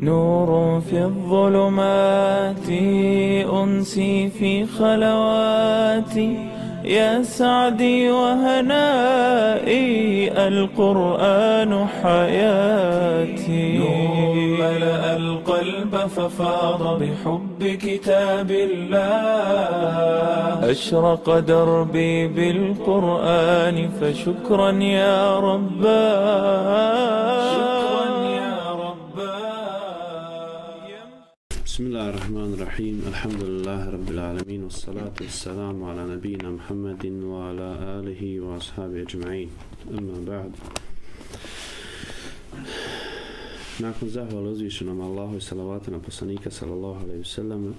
نور في الظلمات أنسي في خلواتي يا سعدي وهنائي القرآن حياتي نور ملأ القلب ففاض بحب كتاب الله أشرق دربي بالقرآن فشكرا يا رباه بسم الله الرحمن الرحيم الحمد لله رب العالمين والصلاة والسلام على نبينا محمد وعلى آله وأصحابه أجمعين أما بعد nakon zahvala uzvišenom Allahu i salavata na poslanika sallallahu alejhi ve sellem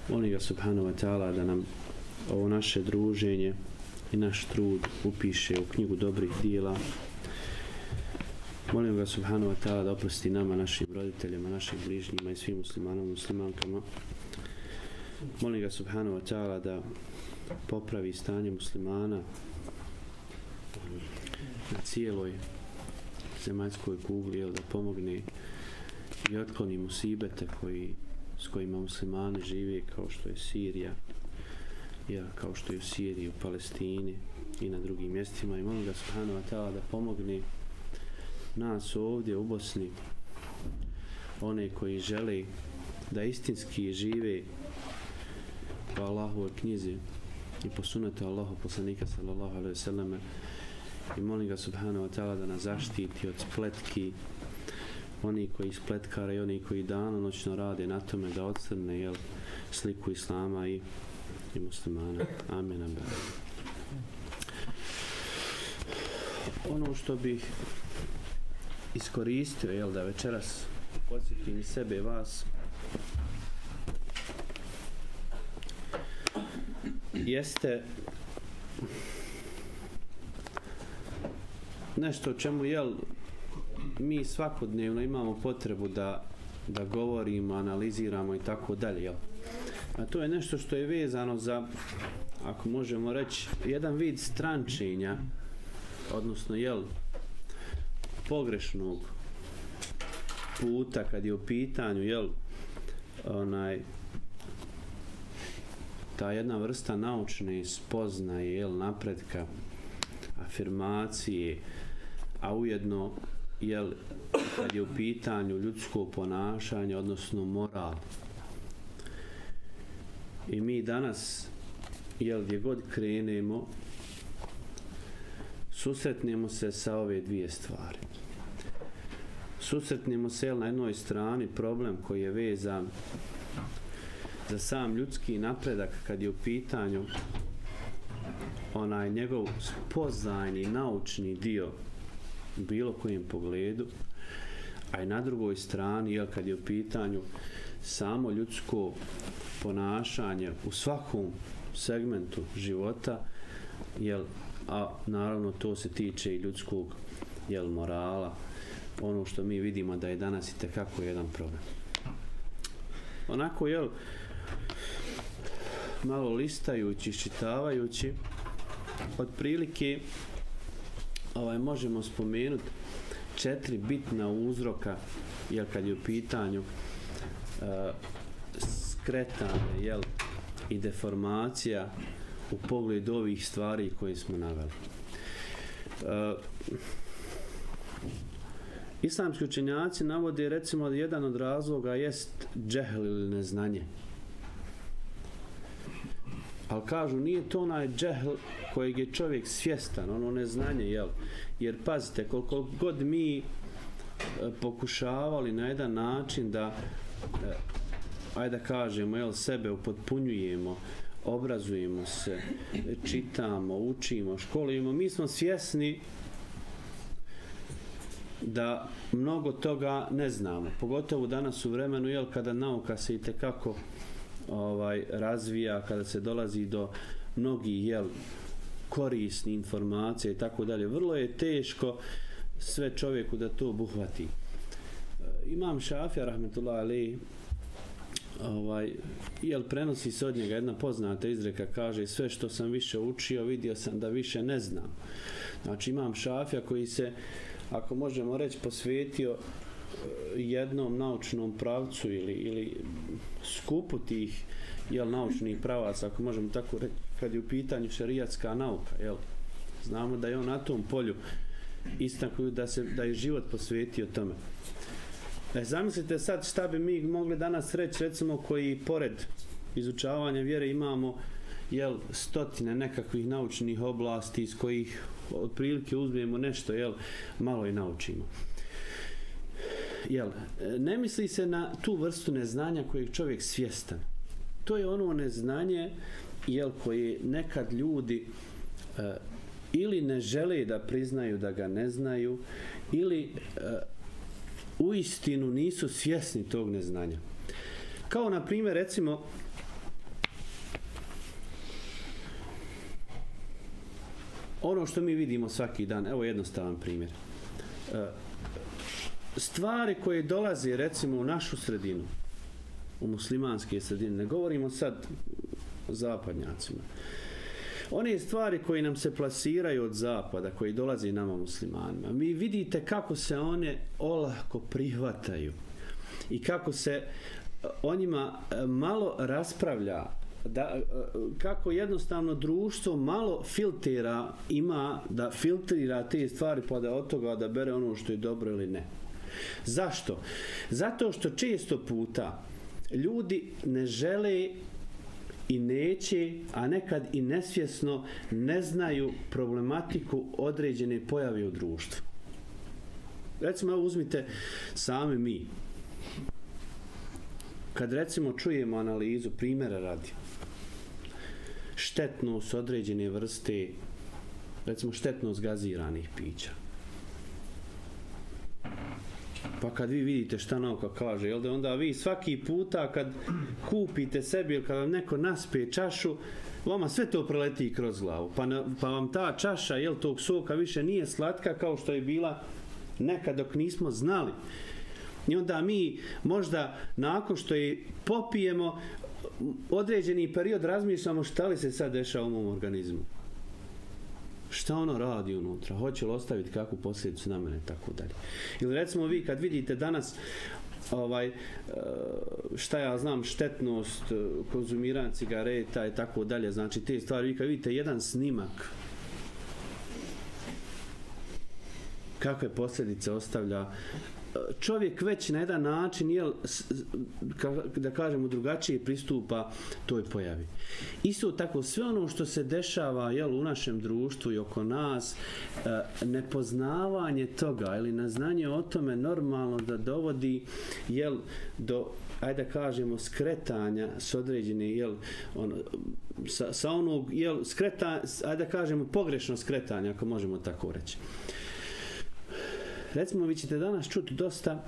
molim ga subhanahu wa ta'ala da nam ovo naše druženje i naš trud upiše u knjigu dobrih djela. Molim ga subhanahu wa ta'ala da oprosti nama, našim roditeljima, našim bližnjima i svim muslimanama i muslimankama. Molim ga subhanahu wa ta'ala da popravi stanje muslimana na cijeloj zemaljskoj kugli, da pomogne i otkloni musibete s kojima muslimani žive, kao što je Sirija, kao što je u Siriji, u Palestini i na drugim mjestima. I molim ga subhanahu wa ta'ala da pomogne nas ovdje u Bosni, one koji žele da istinski žive po Allahovoj knjizi i po sunnetu Allahu poslanika sallallahu alejhi ve selleme, i molim ga subhanahu wa ta'ala da nas zaštiti od spletki oni koji spletkare i oni koji danonoćno rade na tome da odstrne sliku islama i muslimana. Amin. Ono što bih iskoristio da večeras podsjetim i sebe i vas jeste nešto o čemu mi svakodnevno imamo potrebu da govorimo, analiziramo i tako dalje. A to je nešto što je vezano za, ako možemo reći, jedan vid strančenja, odnosno pogrešnog puta kad je u pitanju ta jedna vrsta naučne spoznaje, napretka, afirmacije, a ujedno kad je u pitanju ljudsko ponašanje, odnosno moral. I mi danas gdje god krenemo susretnemo se sa ove dvije stvari. Susretnemo se na jednoj strani problem koji je vezan za sam ljudski napredak kad je u pitanju njegov spoznajni naučni dio u bilo kojem pogledu, a i na drugoj strani kad je u pitanju samo ljudsko ponašanje u svakom segmentu života, a naravno to se tiče i ljudskog morala, ono što mi vidimo da je danas i tekako jedan problem. Onako malo listajući, iščitavajući, otprilike možemo spomenuti 4 bitna uzroka kad je u pitanju skretanje i deformacija u pogledu ovih stvari koje smo naveli. Islamski učenjaci navode recimo da jedan od razloga jest džehl ili neznanje. Ali kažu nije to onaj džehl kojeg je čovjek svjestan, ono neznanje, jer pazite, koliko god mi pokušavali na jedan način da ajde da kažemo sebe upotpunjujemo, obrazujemo se, čitamo, učimo, školujemo, mi smo svjesni da mnogo toga ne znamo, pogotovo danas u vremenu kada nauka se itekako razvija, kada se dolazi do mnogih korisnih informacija i tako dalje. Vrlo je teško sve čovjeku da to obuhvati. Imam Šafija rahmetullahi alejhi prenosi se od njega jedna poznata izreka, kaže sve što sam više učio vidio sam da više ne znam. Znači Imam Šafija koji se, ako možemo reći, posvetio jednom naučnom pravcu ili skupu tih naučnih pravaca, ako možemo tako reći, kad je u pitanju šerijatska nauka, znamo da je on na tom polju istaknuo da je život posvetio tome. Zamislite sad šta bi mi mogli danas reći, recimo, koji pored izučavanja vjere imamo stotine nekakvih naučnih oblasti iz kojih otprilike uzmemo nešto, malo i naučimo. Ne misli se na tu vrstu neznanja kojeg čovjek svjestan. To je ono neznanje koje nekad ljudi ili ne žele da priznaju da ga ne znaju, ili uistinu nisu svjesni tog neznanja. Kao na primjer, recimo, ono što mi vidimo svaki dan, evo jednostavan primjer. Stvari koje dolaze, recimo, u našu sredinu, u muslimanske sredine, ne govorimo sad o zapadnjacima, one stvari koje nam se plasiraju od zapada, koji dolaze nama muslimanima, vi vidite kako se one olako prihvataju i kako se o njima malo raspravlja, kako jednostavno društvo malo filtera, ima da filtrira te stvari pa da od toga da bere ono što je dobro ili ne. Zašto? Zato što često puta ljudi ne žele i neće, a nekad i nesvjesno ne znaju problematiku određene pojave u društvu. Recimo, uzmite sami mi. Kad recimo čujemo analizu, primjera radi, štetnost određene vrste, recimo štetnost gaziranih pića. Pa kad vi vidite šta nauka kaže, da onda vi svaki puta kad kupite sebi ili kad vam neko naspe čašu, vama sve to preleti kroz glavu. Pa vam ta čaša tog soka više nije slatka kao što je bila nekad dok nismo znali. I onda mi možda nakon što je popijemo određeni period razmišljamo šta li se sad dešava u mom organizmu. Šta ono radi unutra, hoće li ostaviti kakvu posljedicu na mene, tako dalje. Ili recimo vi kad vidite danas šta ja znam, štetnost konzumiranja cigareta i tako dalje, znači te stvari, vi kad vidite jedan snimak kakve posljedice ostavlja, čovjek već na jedan način, da kažemo, drugačije pristupa toj pojavi. Isto tako, sve ono što se dešava u našem društvu i oko nas, nepoznavanje toga ili neznanje o tome normalno da dovodi do, ajde da kažemo, skretanja s određene, sa onog, ajde da kažemo, pogrešno skretanja, ako možemo tako reći. Recimo, vi ćete danas čuti dosta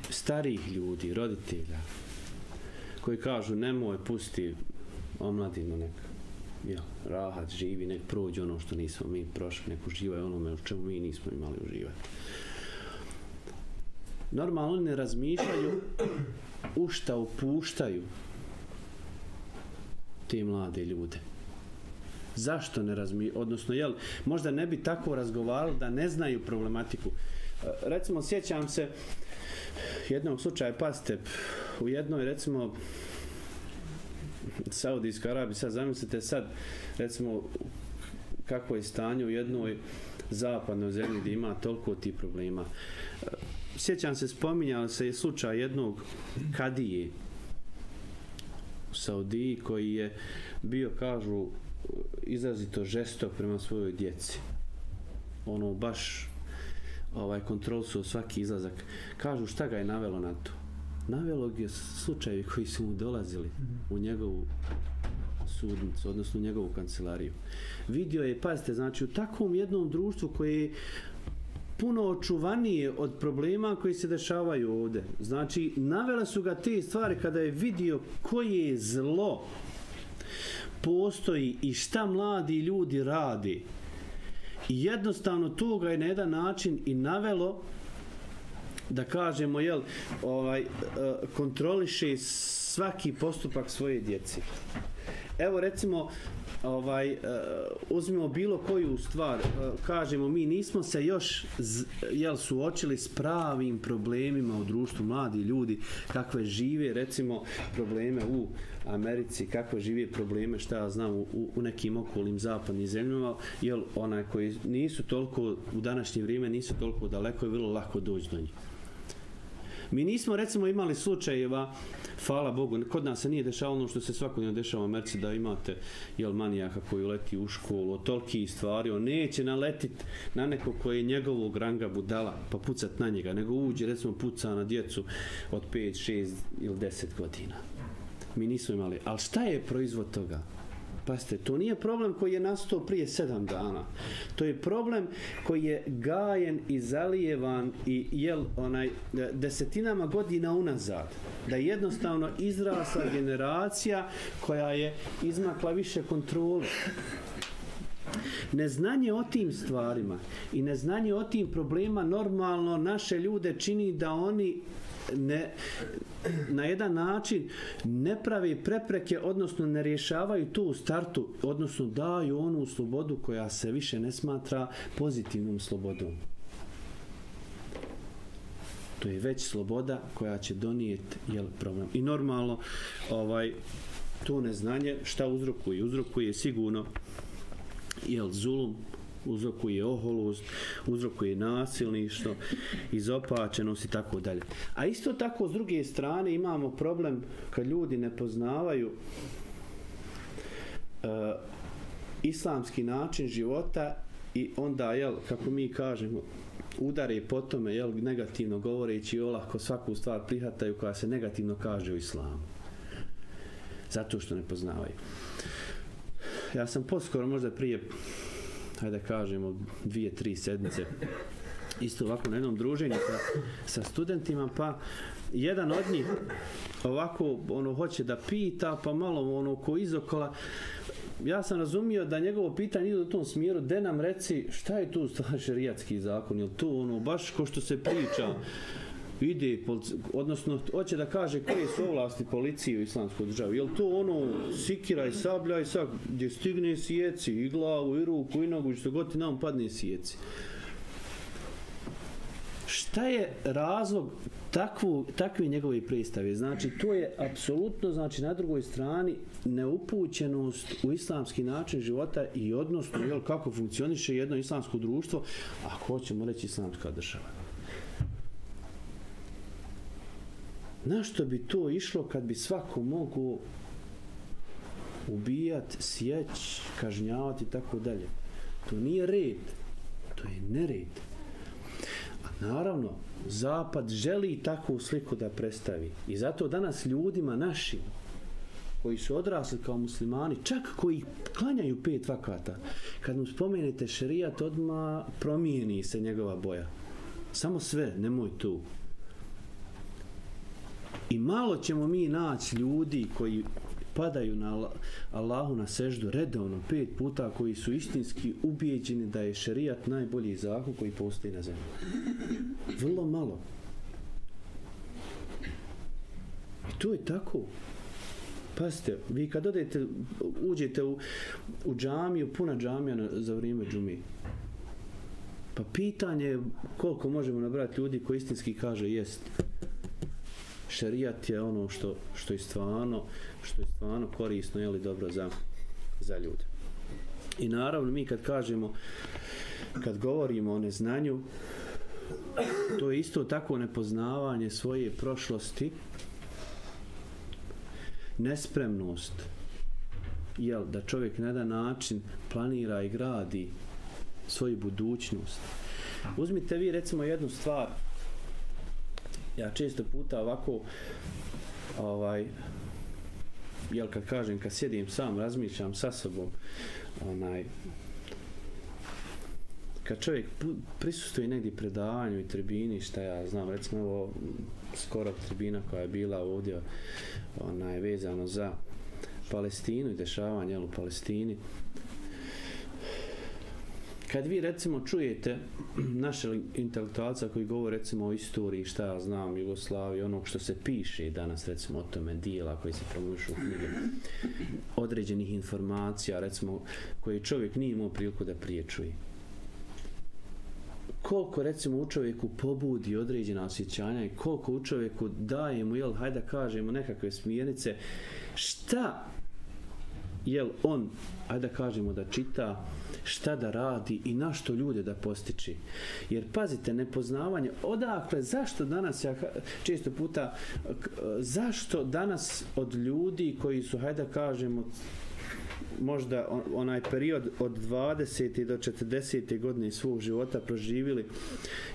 starijih ljudi, roditelja, koji kažu nemoj, pusti omladinu, nek rahat živi, nek prođe ono što nismo mi prošli, nek uživaju onome u čemu mi nismo imali uživati. Normalno oni ne razmišljaju u šta upuštaju te mlade ljude. Zašto ne razmišljaju? Odnosno, možda ne bi tako razgovarali da ne znaju problematiku. Recimo, sjećam se jednog slučaja, pazite, u jednoj, recimo, Saudijskoj Arabiji, sad zamislite sad, recimo, kako je stanje u jednoj zapadnoj zemlji gdje ima toliko tih problema. Sjećam se, spominjao se je slučaj jednog kadije u Saudiji koji je bio, kažu, izrazito žestok prema svojoj djeci. Ono, baš kontrolisuo svaki izlazak. Kažu, šta ga je navelo na to? Navelo je slučajevi koji su mu dolazili u njegovu sudnicu, odnosno u njegovu kancelariju. Vidio je, pazite, znači u takvom jednom društvu koje je puno očuvanije od problema koji se dešavaju ovdje. Znači, navele su ga te stvari kada je vidio koje zlo postoji i šta mladi ljudi radi. I jednostavno to ga je na jedan način i navelo da kažemo, kontroliše svaki postupak svoje djece. evo recimo, uzmimo bilo koju stvar, kažemo mi nismo se još suočili s pravim problemima u društvu, mladi ljudi, kakve žive recimo probleme u Americi, kakve žive probleme, šta ja znam, u nekim okolnim zapadnim zemljama, jer onaj koji nisu toliko, u današnje vrijeme nisu toliko daleko, je vrlo lako doći do njih. Mi nismo recimo imali slučajeva, hvala Bogu, kod nas se nije dešavalo ono što se svakodnevno dešava u Americi, da imate manijaka koji leti u školu, od tolikih stvari, on neće naletiti na neko koji je njegovog ranga budala pa pucat na njega, nego uđe recimo puca na djecu od 5, 6 ili 10 godina. Mi nismo imali, ali šta je proizvod toga? Pazite, to nije problem koji je nastao prije 7 dana. To je problem koji je gajen i zalijevan i desetinama godina unazad. Da je jednostavno izrasla generacija koja je izmakla više kontrole. Neznanje o tim stvarima i neznanje o tim problema normalno naše ljude čini da oni na jedan način ne pravi prepreke, odnosno ne rješavaju to u startu, odnosno daju onu slobodu koja se više ne smatra pozitivnom slobodom. To je već sloboda koja će donijeti problem. I normalno to neznanje šta uzrokuje? Uzrokuje sigurno zulum, uzrokuje oholost, uzrokuje nasilništvo, izopačenost i tako dalje. A isto tako s druge strane imamo problem kad ljudi ne poznavaju islamski način života i onda, kako mi kažemo, udare po tome, negativno govoreći, olako svaku stvar prihvataju koja se negativno kaže u islamu. Zato što ne poznavaju. Ja sam poskoro, možda prije, hajde kažemo, 2-3 sedmice, isto ovako na jednom druženju sa studentima, pa jedan od njih ovako hoće da pita, pa malo ko izokola. Ja sam razumio da njegovo pitanje ide u tom smjeru, de nam reci šta je tu šerijatski zakon, je li to baš ko što se priča, ide, odnosno hoće da kaže koje su ovlasti policije u islamskoj državi. Je li to sikira i sablja i sad gdje stigne sjeci i glavu i ruku i nogu, što god ti nam padne sjeci. Šta je razlog takve njegove predstave? Znači, to je apsolutno, na drugoj strani neupućenost u islamski način života i odnosno kako funkcioniše jedno islamsko društvo, ako hoćemo reći islamska država. Na što bi to išlo kad bi svako mogao ubijati, sjeći, kažnjavati i tako dalje? To nije red, to je nered. A naravno, Zapad želi takvu sliku da predstavi. I zato danas ljudima našim, koji su odrasli kao muslimani, čak koji klanjaju 5 vakata, kad mu spomenete šerijat, odmah promijeni se njegova boja. Samo sve, nemoj tu. I malo ćemo mi naći ljudi koji padaju na Allahu na seždu redovno 5 puta, koji su istinski ubijeđeni da je šerijat najbolji zakon koji postoji na zemlji. Vrlo malo. I to je tako. Pazite, vi kad uđete u džamiju, puna džamija za vrijeme džume, pa pitanje je koliko možemo nabrati ljudi koji istinski kaže jest. Šerijat je ono što je stvarno korisno, je li dobro za ljude. I naravno mi kad govorimo o neznanju, to je isto tako nepoznavanje svoje prošlosti, nespremnost, da čovjek na jedan način planira i gradi svoju budućnost. Uzmite vi recimo jednu stvar. Ja često puta ovako kad sjedim sam, razmišljam sa sobom, kad čovjek prisustuje negdje predavanju i tribini, šta ja znam, recimo ovo skoro tribina koja je bila ovdje vezano za Palestinu i dešavanje u Palestini, kad vi recimo čujete naše intelektualca koji govore recimo o istoriji, šta ja znam, Jugoslaviji, onog što se piše danas recimo o tome, dijela koji se promovišu u knjige, određenih informacija recimo koje čovjek nije imao priliku da prije čuje. Koliko recimo u čovjeku pobudi određena osjećanja i koliko u čovjeku daje mu, jel, hajde da kažemo nekakve smjernice, šta jel on, hajde da kažemo da čita, šta da radi i na što ljude da postiči. Jer pazite, nepoznavanje, odakle, zašto danas, ja često puta, zašto danas od ljudi koji su, hajde da kažemo, možda onaj period od 20. do 40. godine svog života proživjeli,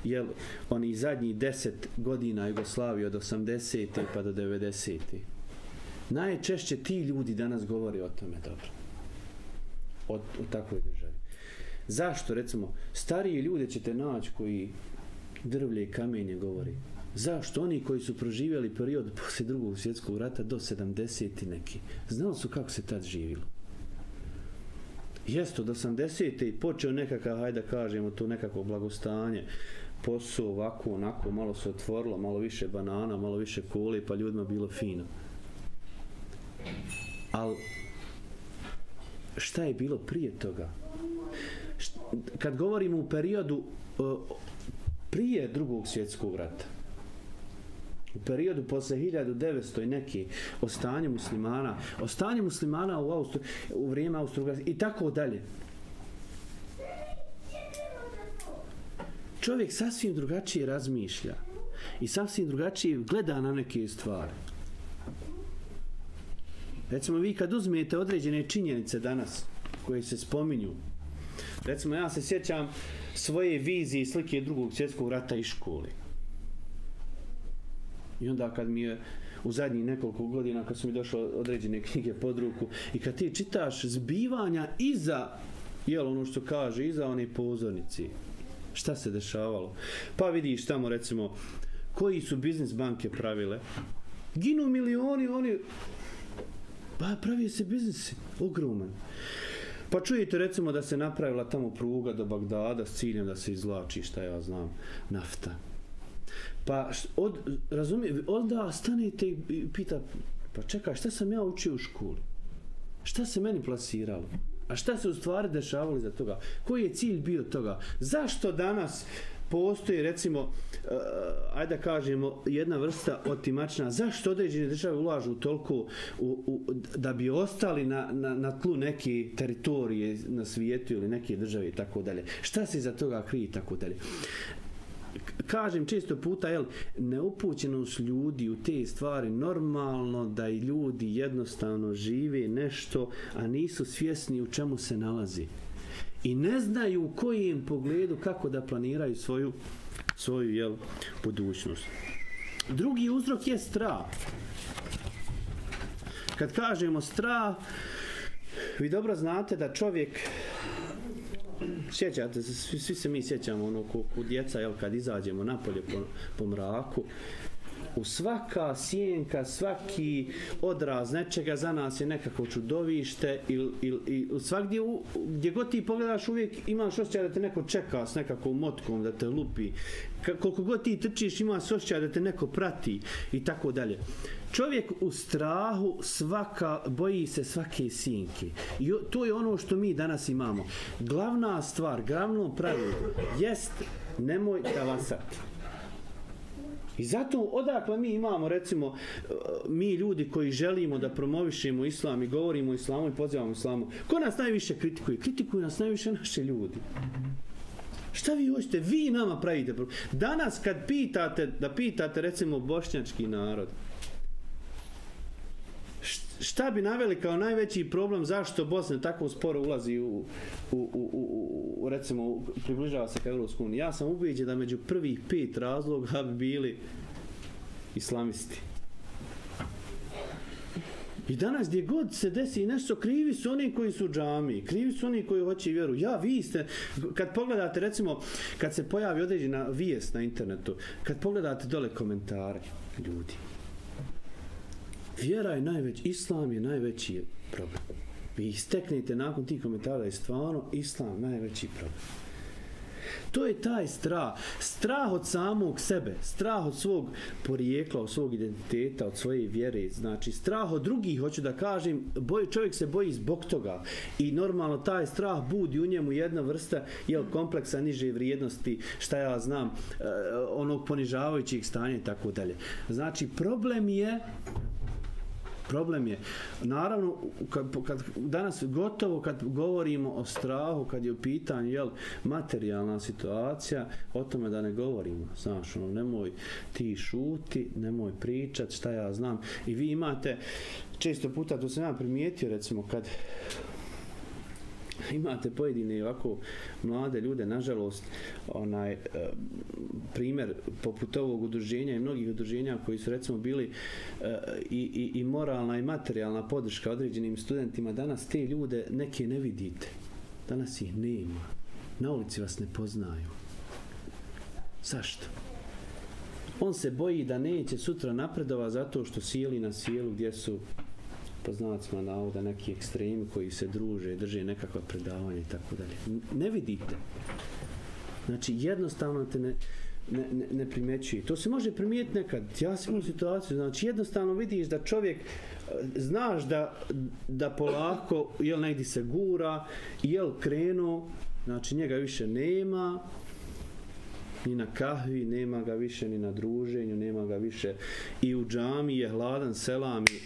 jel, oni zadnjih 10 godina Jugoslavije od 80. pa do 90. Najčešće ti ljudi danas govore o tome dobro. O takvoj državi. Zašto, recimo, stariji ljude ćete naći koji drvlje i kamenje govori. Zašto? Oni koji su proživjeli period poslije Drugog svjetskog rata do 70. neki. Znali su kako se tad živjelo. Jest, od 80. počeo nekakav, hajde da kažemo, to nekako blagostanje, posao ovako, onako, malo se otvorilo, malo više banana, malo više kole, pa ljudima bilo fino. Ali šta je bilo prije toga? Kad govorimo u periodu prije Drugog svjetskog rata, u periodu posle 1900 i neki, o stanju muslimana u vrijeme Austro-Ugarske i tako dalje. Čovjek sasvim drugačije razmišlja i sasvim drugačije gleda na neke stvari. Recimo, vi kad uzmete određene činjenice danas koje se spominju, recimo, ja se sjećam svoje vizije i slike Drugog svjetskog rata iz škole. I onda kad mi je u zadnjih nekoliko godina, kad su mi došle određene knjige pod ruku i kad ti čitaš zbivanja iza, jel, ono što kaže, iza one pozornici, šta se dešavalo? Pa vidiš tamo, recimo, koji su biznis banke pravile. Ginu milioni, oni... Pa pravi se biznisi, ogroman. Pa čujete recimo da se napravila tamo pruga do Bagdada s ciljem da se izvlači, šta ja znam, nafta. Pa onda stanete i pita, pa čekaj, šta sam ja učio u školi? Šta se meni plasiralo? A šta se u stvari dešavalo iza toga? Koji je cilj bio toga? Zašto danas postoji, recimo, ajde da kažemo, jedna vrsta otimačna? Zašto određene države ulažu toliko da bi ostali na tlu neke teritorije na svijetu ili neke države i tako dalje? Šta se iza toga krije i tako dalje? Kažem često puta, jel, neupućenost ljudi u te stvari, normalno da i ljudi jednostavno žive nešto, a nisu svjesni u čemu se nalazi. I ne znaju u kojem pogledu kako da planiraju svoju jel, budućnost. Drugi uzrok je strah. Kad kažemo strah, vi dobro znate da čovjek, sjećate se, svi se mi sjećamo ono ko djeca, jel, kad izađemo napolje po mraku, u svaka sjenka, svaki odraz nečega za nas je nekako čudovište i svakdje gdje god ti pogledaš uvijek imaš osjećaj da te neko čeka s nekakvom motkom, da te lupi. Koliko god ti trčiš imaš osjećaj da te neko prati i tako dalje. Čovjek u strahu boji se svake sjenke. I to je ono što mi danas imamo. Glavna stvar, glavno pravilo jest nemoj tavasati. I zato odakle mi imamo, recimo, mi ljudi koji želimo da promovišemo islam i govorimo o islamu i pozivamo islamu, ko nas najviše kritikuje? Kritikuju nas najviše naše ljudi. Šta vi hoćete? Vi nama pravite problem. Danas kad pitate recimo bošnjački narod, šta bi naveli kao najveći problem zašto Bosna tako sporo ulazi recimo, približava se ka Europskoj uniji? Ja sam ubeđen da među prvih 5 razloga bi bili islamisti. I danas gdje god se desi nešto, krivi su oni koji su u džamiji, krivi su oni koji hoće vjeru. Vi ste, kad pogledate, recimo, kad se pojavi određena vijest na internetu, kad pogledate dole komentare, ljudi, vjera je najveći, islam je najveći problem. Vi isteknete nakon tih komentara da je stvarno islam najveći problem. To je taj strah. Strah od samog sebe, strah od svog porijekla, od svog identiteta, od svoje vjere. Znači, strah od drugih, hoću da kažem, čovjek se boji zbog toga. I normalno taj strah budi u njemu jedna vrsta kompleksa niže vrijednosti, šta ja znam, onog ponižavajućeg stanja i tako dalje. Znači, problem je, naravno, kad danas gotovo kad govorimo o strahu, kad je u pitanju materijalna situacija, o tome da ne govorimo. Znaš, nemoj ti šuti, nemoj pričat, šta ja znam. I vi imate, često puta, to sam ja primijetio, recimo, kad imate pojedine ovako mlade ljude, nažalost, primjer poput ovog udruženja i mnogih udruženja koji su recimo bili i moralna i materijalna podrška određenim studentima, danas te ljude neke ne vidite. Danas ih nema. Na ulici vas ne poznaju. Zašto? On se boji da neće sutra napredova zato što sili na sjelu gdje su po znacima navoda neki ekstremi koji se druže, drže nekakva predavanja i tako dalje. Ne vidite. Znači, jednostavno te ne primjećuje. To se može primijetiti nekad. Ja sam imao situaciju, znači jednostavno vidiš da čovjek, znaš da polako negdje se gura, krenuo, znači njega više nema, ni na kahvi, nema ga više ni na druženju, nema ga više i u džami je hladan selam i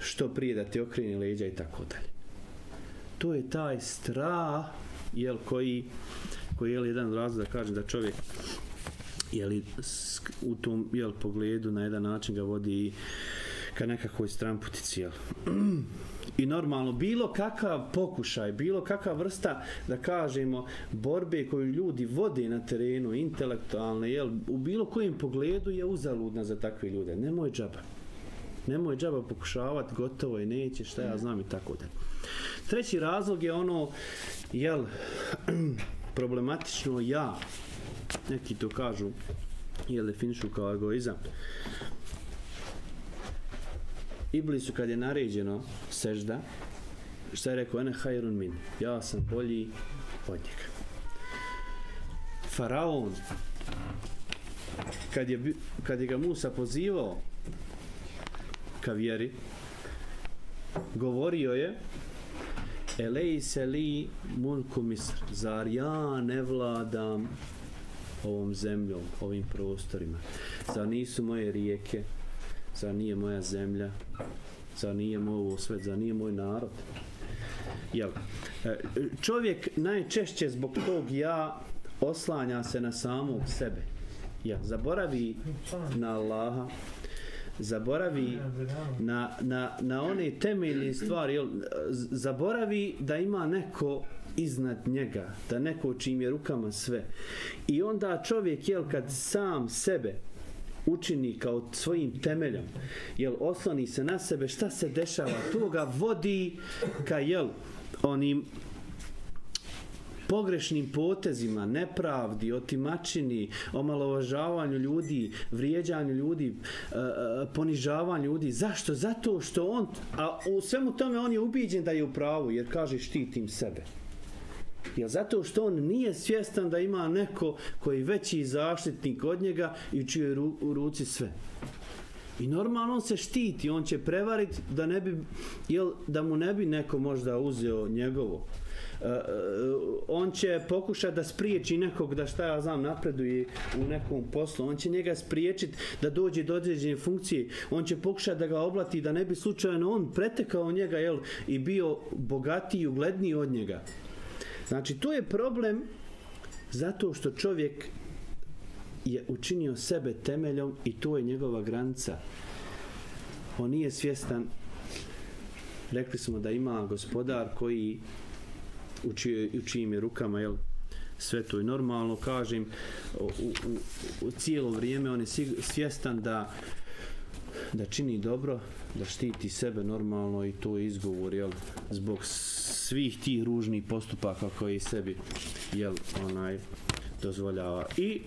što prije da ti okreni leđa i tako dalje. To je taj strah koji je jedan razlog da kažem da čovjek u tom pogledu na jedan način ga vodi ka nekakvoj stramputici. I normalno, bilo kakav pokušaj, bilo kakva vrsta, da kažemo, borbe koju ljudi vode na terenu, intelektualne, u bilo kojem pogledu je uzaludna za takve ljude. Nemoj džaba pokušavati, gotovo je, neće, šta ja znam i tako dalje. Treći razlog je problematično neki to kažu, definišu kao egoizam. Iblisu kad je naređeno sežda, šta je rekao? Ene hajrun min, ja sam bolji od njega. Faraon, kad je ga Musa pozivao ka vjeri, govorio je elejse li mulku Misr, zar ja ne vladam ovom zemljom, ovim prostorima, zar nisu moje rijeke, zar nije moja zemlja, zar nije moj svet, zar nije moj narod. Čovjek najčešće zbog tog oslanja se na samog sebe. Zaboravi na Allaha, zaboravi na one temeljne stvari, zaboravi da ima neko iznad njega, da neko čim je rukama sve. I onda čovjek, kad sam sebe učini kao svojim temeljom, osloni se na sebe, šta se dešava? To ga vodi ka onim pogrešnim potezima, nepravdi, otimačini, omalovažavanju ljudi, vrijeđanju ljudi, ponižavanju ljudi. Zašto? Zato što on, a u svemu tome on je ubijeđen da je u pravu, jer kaže štitim sebe. Zato što on nije svjestan da ima neko koji je veći zaštitnik od njega i u čijoj ruci sve. I normalno on se štiti, on će prevariti da mu ne bi neko možda uzeo njegovo. On će pokušati da spriječi nekog da šta ja znam napreduje u nekom poslu, on će njega spriječiti da dođe do određene funkcije, on će pokušati da ga oblati da ne bi slučajno on pretekao njega i bio bogatiji i ugledniji od njega. Znači to je problem zato što čovjek je učinio sebe temeljom i to je njegova granica. On nije svjestan, rekli smo da ima gospodar koji u čijim je rukama sve to i normalno, kažem, u cijelo vrijeme on je svjestan da čini dobro, da štiti sebe normalno i to je izgovor zbog svih tih ružnih postupaka koji sebi dozvoljava. I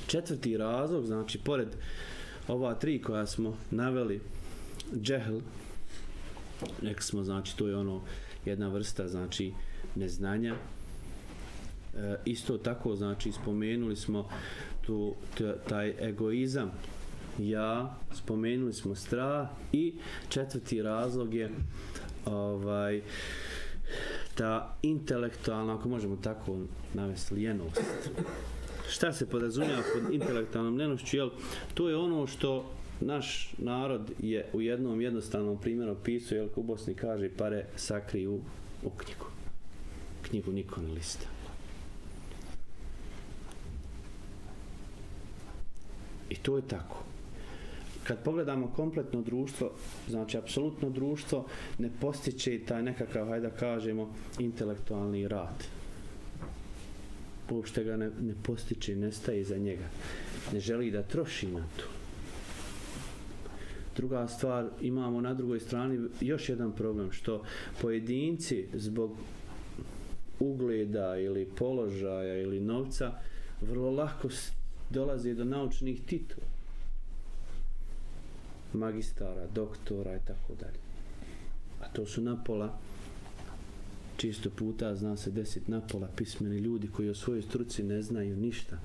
četvrti razlog, znači pored ova tri koja smo naveli, džehl, rekli smo, znači to je jedna vrsta, znači, neznanja, Isto tako, znači, spomenuli smo taj egoizam, ja, spomenuli smo strah i četvrti razlog je ta intelektualna, ako možemo tako navesti, ljenost. Šta se podrazumijeva pod intelektualnom ljenošću? Jel, to je ono što naš narod je u jednom jednostavnom primjeru opisao, jel, u Bosni kaže pare sakriju u knjigu. Knjigu niko ne lista. I to je tako. Kad pogledamo kompletno društvo, znači apsolutno društvo ne postiče taj nekakav, hajde da kažemo, intelektualni rad. Uopšte ga ne postiče, ne staje iza njega. Ne želi da troši na to. Druga stvar, imamo na drugoj strani još jedan problem, što pojedinci zbog ugleda ili položaja ili novca vrlo lako dolaze do naučnih titula. Magistara, doktora i tako dalje. A to su napola, čisto puta zna se desiti napola pismeni ljudi koji o svojoj struci ne znaju ništa.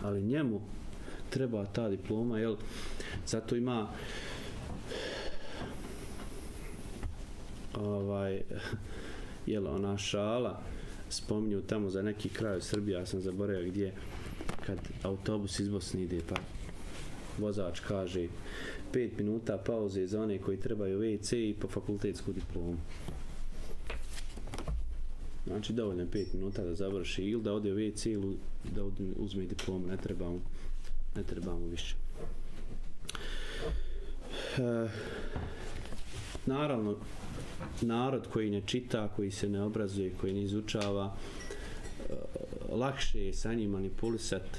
Ali njemu treba ta diploma, jel? Zato ima jel, ona šala, spominju tamo za neki kraj u Srbiji, ja sam zaboravio gdje, kad autobus iz Bosne ide, pa vozač kaže 5 minuta pauze za one koji trebaju WC i po fakultetsku diplomu. Znači dovoljno je 5 minuta da završi ili da ode u WC ili da uzme diplomu, ne trebamo više. Naravno, narod koji ne čita, koji se ne obrazuje, koji ne izučava, lakše je sa njim manipulisati,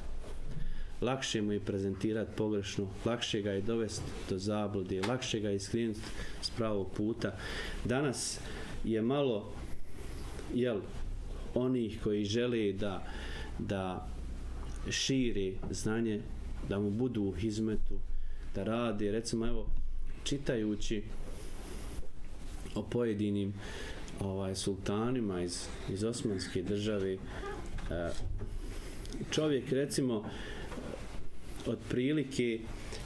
lakše mu je prezentirati pogrešno, lakše ga je dovesti do zablude, lakše ga je iskrenuti s pravog puta. Danas je malo, jel, onih koji žele da šire znanje, da mu budu u hizmetu, da rade, recimo, evo, čitajući o pojedinim sultanima iz Osmanske države, čovjek, recimo, otprilike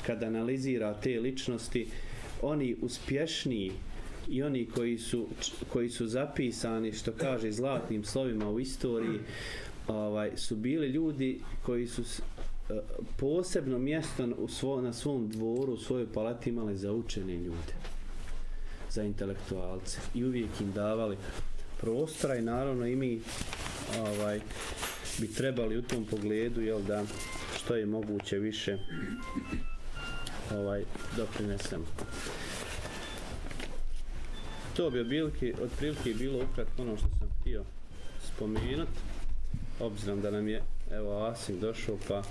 kad analizira te ličnosti, oni uspješniji i oni koji su zapisani, što kaže, zlatnim slovima u istoriji, su bili ljudi koji su posebno mjesto na svom dvoru, u svojoj palati imali za učene ljude, za intelektualce, i uvijek im davali prostora. I naravno i mi bi trebali u tom pogledu, jel, da što je moguće više doprinesemo. To bi otprilike bilo ukratko ono što sam htio spomenuti, obzirom da nam je, evo, Asim došao, pa